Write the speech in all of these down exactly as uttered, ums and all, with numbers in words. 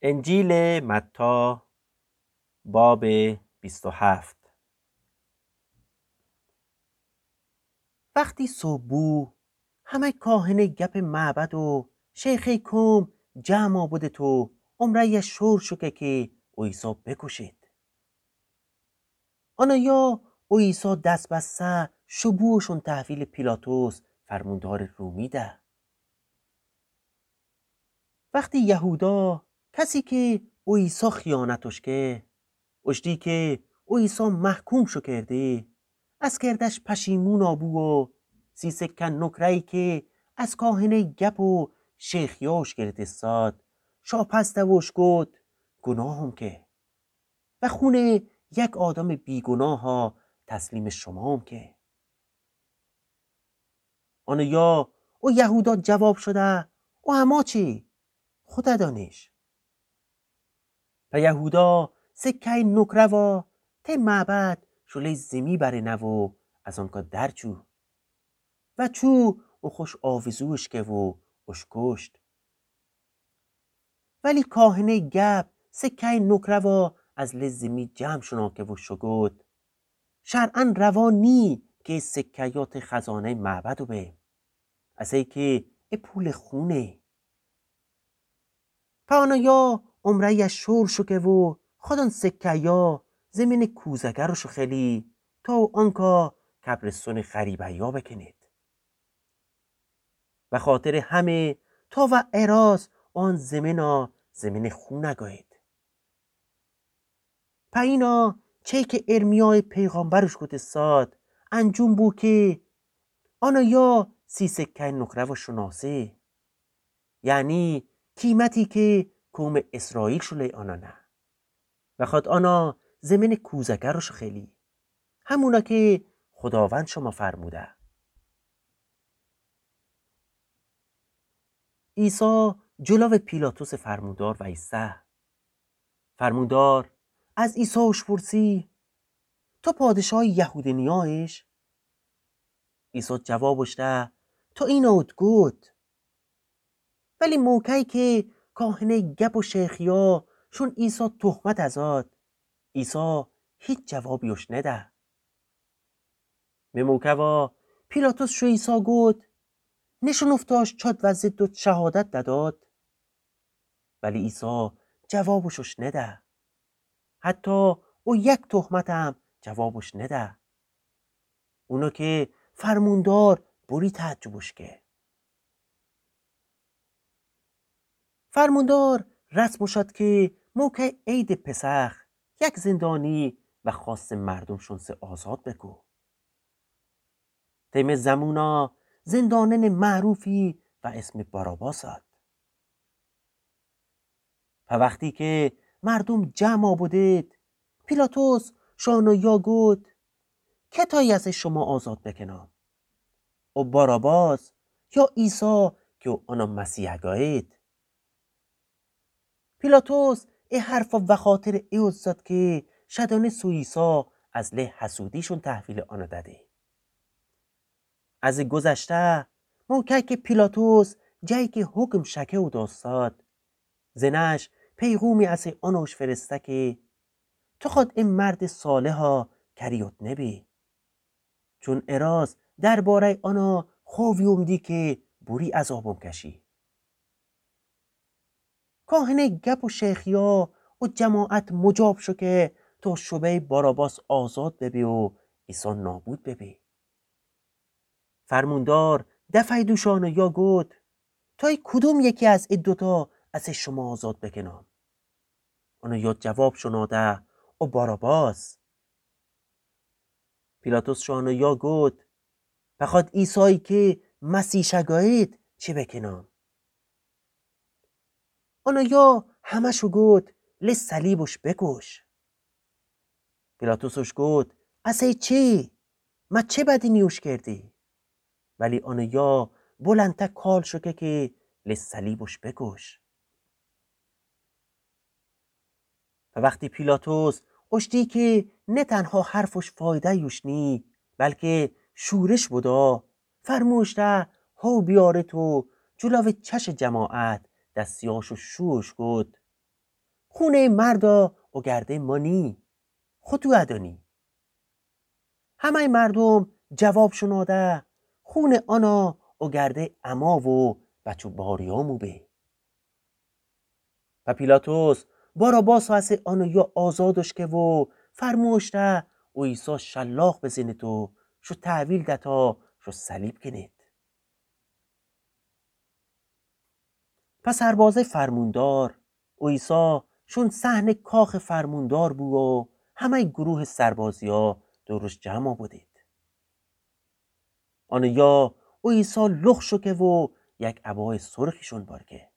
انجیلٚ متی، بابٚ بیست و هفت. وختی صبح بو، همه کاهنٚ گپٚ معبد و شیخٚ کوم جمع بودت و امرأ شور شوکه کی او عیسی بکوشید. آنایا او عیسی دست بسته شو بوشون تحویلٚ پیلاطس فرموندارٚ رومی ده. وختی یهودا، کسی کی او عیسی خیانتش که، اوشتی کی او عیسی محکوم شو کردی، از کردش پشیمونا بو و سی سکه نکره‌یی کی از کاهنٚ گپ و شیخیاش گرتستاد، شاپس ده و اوش گود: گناهم که و خونٚ یک آدمٚ بیگناها تسلیمٚ شومام که. آنایا او یهودا جواب شده: او اما چی؟ خوده دانیش. په یهودا سکه‌یٚ نکره وا تی معبد شو لی زیمی برنه و از آنکا در چو. و چو او خوش آویزوش که و اوش کوشت. ولی کاهنٚ گپ سکه‌یٚ نکره وا از لی زیمی جمع شونا که و شو گود: شرعاً روا نیی کی سکه‌یا تی خزانه‌یٚ معبد به، اسه‌یی کی ای پولٚ خونه. په آنایا امرأ شور شوکه و خودان سکه‌یا زیمینٚ کوزه‌گرش خولی تا او آنکا کبرستونٚ غریبه‌یا بکنید. و خاطرٚ همه تا و اراز آن زیمینا زیمینٚ خون گویید. په اینا چی کی ارمیایٚ پیغمبرش گوتستاد انجام بو کی آنایا سی سکه‌یٚ نکره وا شوناسه، یعنی قیمتی کی کومٚ اسرائیل شو لی آنا نه. و خود آنا زیمینٚ کوزه‌گرش خولی، همونا کی خوداوند شوما فرموده. عیسی جلوٚ پیلاطسٚ فرموندار ویسه. فرموندار از عیسی اوشپرسی: تو پادشاهٚ یهودینیایش؟ عیسی جوابش ده: تو اینا اوت گود. ولی موقعی کی کاهنٚ گپ و شیخیا شون عیسی تهمت ازاد، عیسی هیچ جوابی اوش نده. می موقع وا پیلاطس شو عیسی گود: نشنفتاش چاد و ضدت شهادت دداد؟ ولی عیسی جوابش اوش نده. حتی او یک تهمتم جوابش نده. اونا کی فرموندار بوری تعجبش که. فرموندار رسمش اد کی موقعٚ عیدٚ پسخ یک زندانی و خاصٚ مردوم شون سه آزاد بکو. تیمٚ زمونا زندانٚنٚ معروفی و اسمٚ باراباس اد. په وختی کی مردوم جمع بودید، پیلاطس شو آنایا گود: کتایی اسه شوما آزاد بکنم؟ او باراباس یا عیسی کی او آنا مسیح گایید؟ پیلاطس ای حرفا وخاطرٚ ای اوزاد کی شدانست او عیسی از لی حسودیشون تحویلٚ آنا ددی. از گذشته، موقعی کی پیلاطس جایی کی حکم شکه اوداستاد، زنش پیغومی اسه آنوش فرسته کی تو خود ای مردٚ صالحا کریوت نبی. چون اراز درباره‌یٚ آنا خوویوم دی کی بوری عذابم کشی. کاهنٚ گپ و شیخیا و جماعت مجاب شو کی تا شبه‌یٚ باراباس آزاد ببه و عیسی نابود ببه. فرموندار دفعه‌یٚ دوشان یا گود: تای کدوم یکی از ای دوتا اسه شوما آزاد بکنم؟ آنها یا جواب شونا ده: او باراباس. پیلاطس شونا یا گود: پخواد عیسایی کی مسیح شگایید چی بکنم؟ آنها یا همه‌شو گود: لی صلیبش بکوش. پیلاطسش گود: اسه چی؟ مه چه بدی نیوش کردی؟ ولی آنها یا بلندتر کال شو که کی لی صلیبش بکوش. و وختی پیلاطس اوشتی کی نه تنها حرفش فایده یوش نی، بلکی شورش بدا، فرموش ده هو بیارت و جلوٚ چشٚ جماعت دستیاشو شوش گود: خونٚ ای مردا اوگرده ما نی، خو تو ادانی. همه‌ی مردوم جواب شنوده، خونٚ آنا اوگرده اما و بچه باریامو به. و پیلاطس باراباسا اسه آنویا آزادش که و فرموش ده او عیسی شلاق بزنید و شو تحویل دتا شو صلیب کنید. پس سربازه فرموندار او عیسی شون صحنٚ کاخٚ فرموندار بو و همه‌ی گروه سربازیا دورش جمع بودید. آنویا او عیسی لخ شوکه و یک عبای سرخیشون بارکه.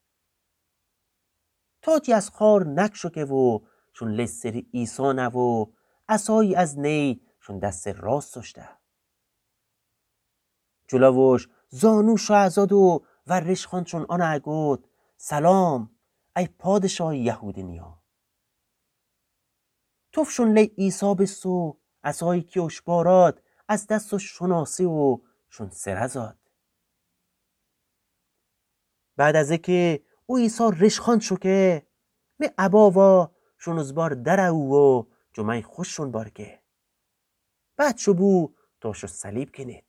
تاجی از خار نکشوکه و شون لی سر عیسی نو و عصایی از نی شون دستٚ راستش ده. جلوش زانوش ازاد و ریشخوانشون آنا گود: سلام، ای پادشاهٚ یهودینیا. توفشون لی عیسی بیست و عصایی کی اوش باراد از دستش شناسی و شون سر ازاد. بعد از اکه او عیسی ریشخوان شوکه، می عبا وا شون از بار در او و جمعی خوششون بارکه. بعد شو بو تا شو صلیب کنید.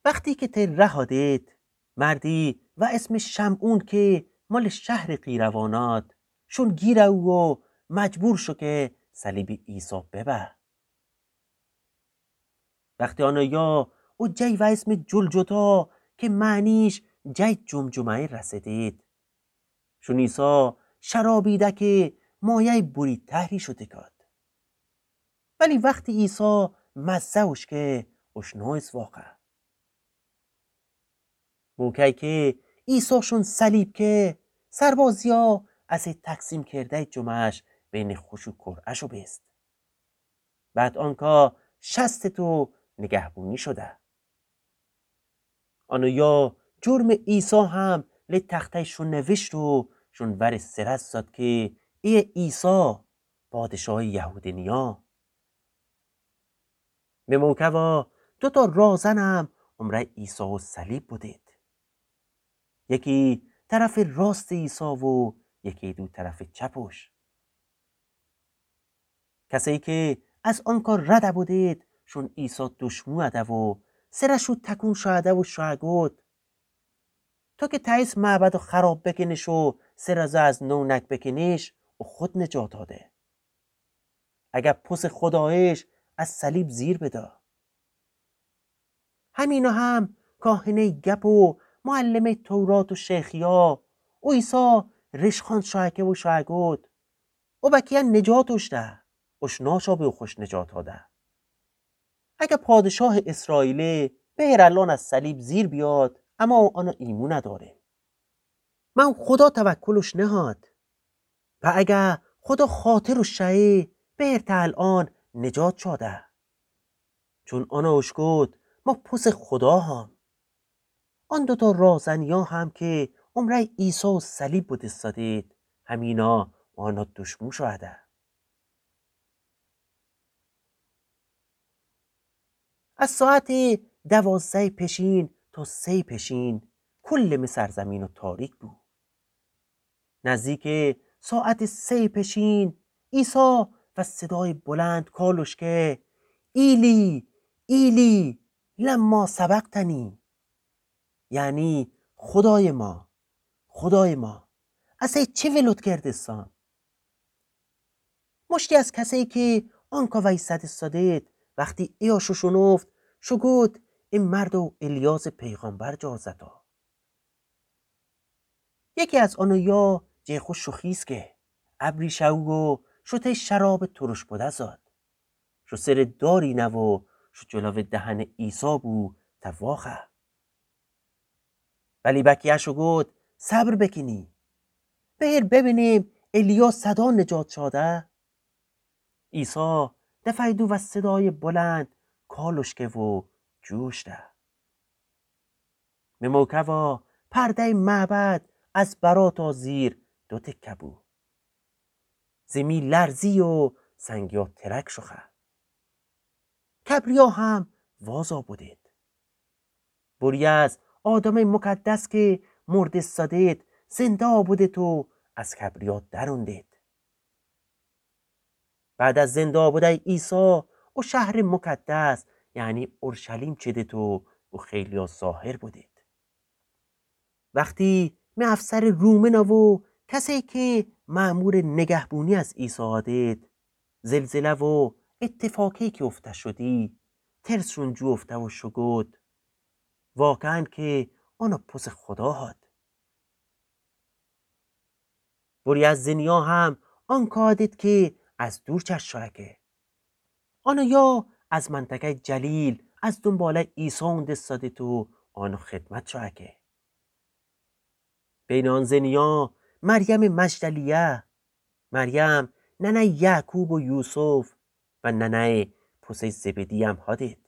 وختی که تی راه آدید، مردی و اسمٚ شمعون که مال شهرٚ قیرواناد، شون گیر او و مجبور شو که صلیبٚ عیسی ببه. وختی آنویا او جی و اسمٚ جلجتا که معنیش جی جمجمه رسیدید، شون عیسی شرابیده که مایه‌ی بوری طهری شوتکاد. ولی وختی عیسی مزه اوشکه، اوشنا ایسه واقعا. موقعی که عیسی شون صلیب که، سربازیا اسه تقسیم کرده‌ی جمعش بینٚ خوش و کرعه‌شو بیست. بعد آنکا شستید و نگهبونی شوده. آنویا جرمٚ عیسی هم لی تخته‌ی شون نویشت و شون ورٚ سر ازاد که ایه عیسی، پادشاهٚ یهودینیا. می موقع وا دوتا راهزنم امرأ عیسی و صلیب بودید. یکی طرفٚ راستٚ عیسی و یکی دو طرفٚ چپش. کسایی که از آنکا رد بودید، شون عیسی دشمو اده و سرشو تکون شوده و شو گود: تو که تأییس معبدو خراب بکنیش و سر ازه از نو نک بکنیش، او خود نجات آده. اگر پسٚ خداییش، از صلیب زیر بدا. همینا هم کاهنه‌ی گپ و معلمٚ تورات و شیخیا او عیسی ریشخوان شوکه و شو گود: او بکیه نجات اوشته، اوشناشا به او خوش نجات آده. اگه پادشاهٚ اسرائیله، بهر الان از صلیب زیر بیاد، اما او آنا ایمون داره. من خدا توکلش نهاد. و اگه خدا خاطرش شأیه، بهر تا الان نجات شاده. چون آنا اوش گود: ما پسٚ خدا هم. آن دوتا راهزنیا هم که امرأی عیسی و صلیب بودستادید، همینا و آنا دشمو شوده. از ساعتٚ دوازدهٚ پیشین تا سه‌یٚ پیشین کلٚ می سرزمینو تاریک بو. نزدیکٚ ساعتٚ سه‌یٚ پیشین عیسی و صدایٚ بلند کالش که: ایلی، ایلی، لما سبقتنی؟ یعنی خدای ما، خدای ما، اسه چی ولوت کردستم؟ مشتی از کسایی که آنکا ویسادستادید، وختی ایاشو شنفت، شو گود: ای مردو الیازٚ پیغمبر جار زتا. یکی از آنویا جه خو شوخیس که، ابری شو و شو تی شرابٚ ترش بوده زاد. شو سرٚ داری نو و شو جلوٚ دهنٚ عیسی بو تا واخه. ولی بکیه شو گود: صبر بکنی، بهر ببینیم الیا صدا نجات شاده. عیسی دفعه دو و صدایٚ بلند کالش که و جوش ده. می موقع وا پرده‌یٚ معبد از برا تا زیر دو تکه بو. زیمی لرزی و سنگیا ترک شوخه. کبریا هم وازا بودید. بوری از آدمٚ مقدس که مرده سادید، زنده بودید و از قبریات دروندید. بعد از زنده بودن عیسی، او شهرٚ مقدس، یعنی اورشلیم چیدید و او خیلیا ظاهر بودید. وختی می افسرٚ رومنه و کسایی که مأمورٚ نگهبونی از عیسی آدید، زلزله و اتفاقی که افته شودی، ترسشون جوفته و شوگود، واقعاً که آنا پوسٚ خودا هاد. بوری از زنیا هم آن کادید که از دور چشم شوأکه. آنا یا از منطقه‌یٚ جلیل از دونباله‌یٚ عیسی اونده سادید و آنا خدمت شوأکه. بین آن زنیا مریمٚ مجدلیه، مریم ننه‌یٚ یعقوب و یوسف و ننه‌یٚ پوسه‌یٚ زبدی هم هادید.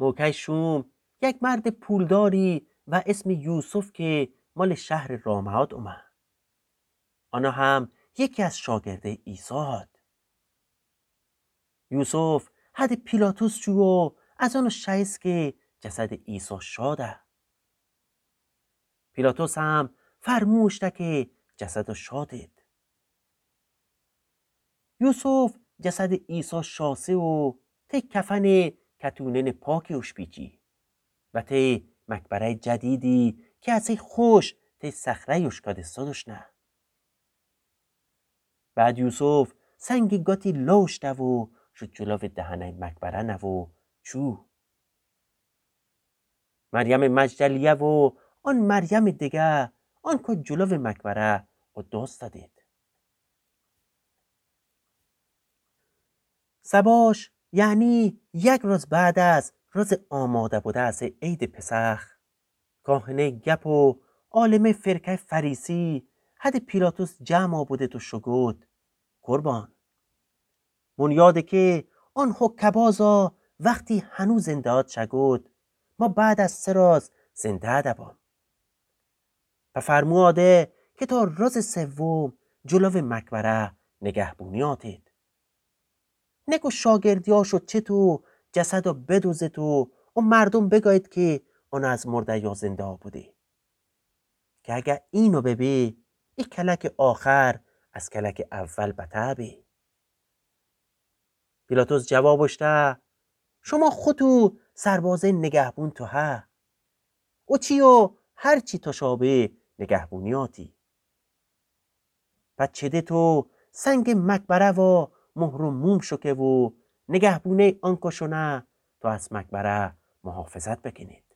موقعٚ شوم یک مردٚ پولداری و اسمٚ یوسف که مالٚ شهرٚ رامه‌ات اومه. آنا هم یکی از شاگرده‌یٚ عیسی هاد. یوسف حدٚ پیلاطس شو و از آنا شایست که جسدٚ عیسی شاده. پیلاطس هم فرموشته که جسدا شادید. یوسف جسدٚ عیسی شاسه و تی کفنٚ کتوننٚ پاکی اوشپیچی و تی مقبره‌یٚ جدیدی که اصی خوش تی صخره‌یٚ اوشکاده سادوشنه. بعد یوسف سنگٚ گاتی لوشته و شو جلوٚ دهنه‌یٚ مقبره نو و چو. مریمٚ مجدلیه و آن مریمٚ دگه آنکو جلوٚ مقبره و داستادید. صباش، یعنی یک روز بعد از روزٚ آماده بودن از عیدٚ پسخ، کاهنه‌یٚ گپ و عالمه‌یٚ فرقه‌یٚ فریسی حدٚ پیلاطس جمع بودید و شوگود: قربان، بنیاده که آن حقه‌بازا وختی هنو زنده‌ات شوگود، ما بعد از سه روز زنده‌ات بام. پس فرموده که تا روزٚ سوم جلوٚ مقبره نگهبونی آتید. نکو شاگردیاشو چتو جسدو بدوزتو و مردوم بگایید که اون از مرده‌یا زنده بوده. که اگر اینو ببه، ای کلکٚ آخر از کلکٚ اول بتر به. پیلاطس جوابش ده: شما خوتو سربازه نگهبون تو ها. او چی و هر چی تشابه نگهبونی آتی. پس چده تو سنگٚ مقبره وا مهر و موم شوکه و نگهبونه‌یٚ آنکو شونه تا از مقبره محافظت بکنید.